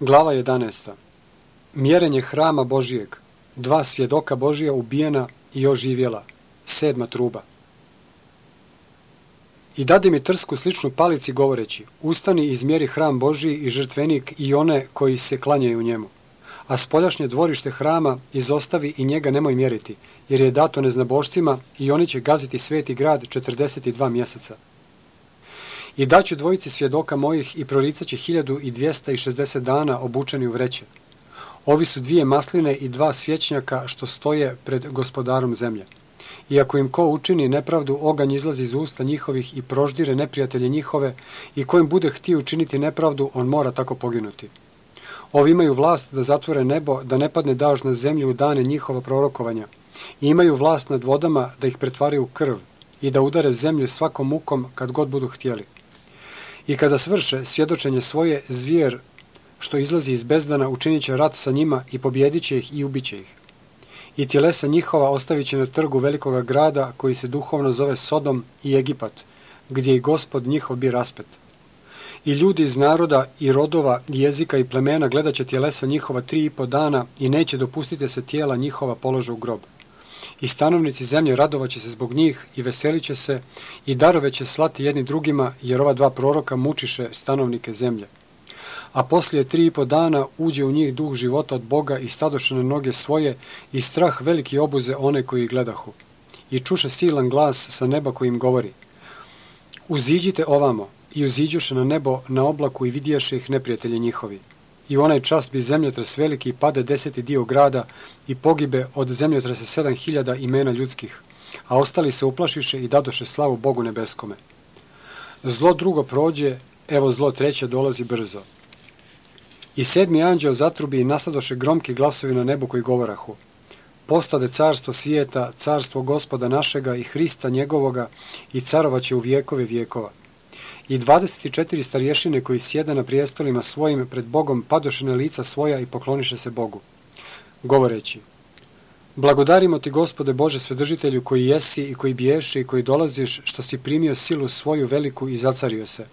Glava 11. Mjerenje hrama Božijeg. 2 svjedoka Božija ubijena i oživjela. 7. truba. I dade mi trsku sličnu palici govoreći: ustani i izmjeri hram Božiji i žrtvenik i one koji se klanjaju njemu. A spoljašnje dvorište hrama izostavi i njega nemoj mjeriti, jer je dato neznabošcima i oni će gaziti sveti grad 42 mjeseca. I daću dvojici svjedoka mojih i proricat će 1260 dana obučeni u vreće. Ovi su 2 masline i 2 svječnjaka što stoje pred gospodarom zemlje. I ako im ko učini nepravdu, oganj izlazi iz usta njihovih i proždire neprijatelje njihove, i ko im bude htio učiniti nepravdu, on mora tako poginuti. Ovi imaju vlast da zatvore nebo, da ne padne dažd na zemlju u dane njihova prorokovanja. I imaju vlast nad vodama da ih pretvaraju u krv i da udare zemlju svakom mukom kad god budu htjeli. I kada svrše svjedočenje svoje, zvijer što izlazi iz bezdana učinit će rat sa njima i pobjedit će ih i ubit će ih. I tjelesa njihova ostavit će na trgu velikoga grada koji se duhovno zove Sodom i Egipat, gdje i Gospod njihov bi raspet. I ljudi iz naroda i rodova i jezika i plemena gledat će tjelesa njihova 3,5 dana i neće dopustiti se tijela njihova polože u grob. I stanovnici zemlje radovat će se zbog njih i veselit će se i darove će slati jedni drugima, jer ova 2 proroka mučiše stanovnike zemlje. A poslije 3,5 dana uđe u njih duh života od Boga i stadoše na noge svoje i strah veliki obuze one koji ih gledahu. I čuše silan glas sa neba koji im govori: uziđite ovamo. I uziđuše na nebo na oblaku i vidješe ih neprijatelji njihovi. I u onaj čas bi zemljotres veliki pade 10. dio grada i pogibe od zemljotresa 7.000 imena ljudskih, a ostali se uplašiše i dadoše slavu Bogu nebeskome. Zlo drugo prođe, evo zlo treće dolazi brzo. I 7. anđeo zatrubi i nasadoše gromki glasovi na nebu koji govorahu: postade carstvo svijeta, carstvo Gospoda našega i Hrista njegovoga i carovaće u vjekove vjekova. I 24 starješine koji sjede na prijestolima svojim pred Bogom padoše na lica svoja i pokloniše se Bogu, govoreći: blagodarimo ti, Gospode Bože Svedržitelju, koji jesi i koji biješi i koji dolaziš, što si primio silu svoju veliku i zacario se.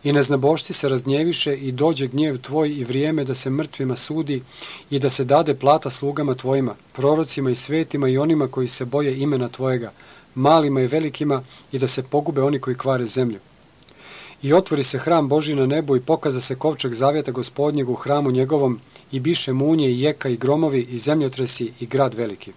I neznabošci se raznjeviše i dođe gnjev tvoj i vrijeme da se mrtvima sudi i da se dade plata slugama tvojima, prorocima i svetima i onima koji se boje imena tvojega, malima i velikima, i da se pogube oni koji kvare zemlju. I otvori se hram Božji na nebu i pokaza se kovčeg zavjeta Gospodnjeg u hramu njegovom i biše munje i jeka i gromovi i zemljotresi i grad veliki.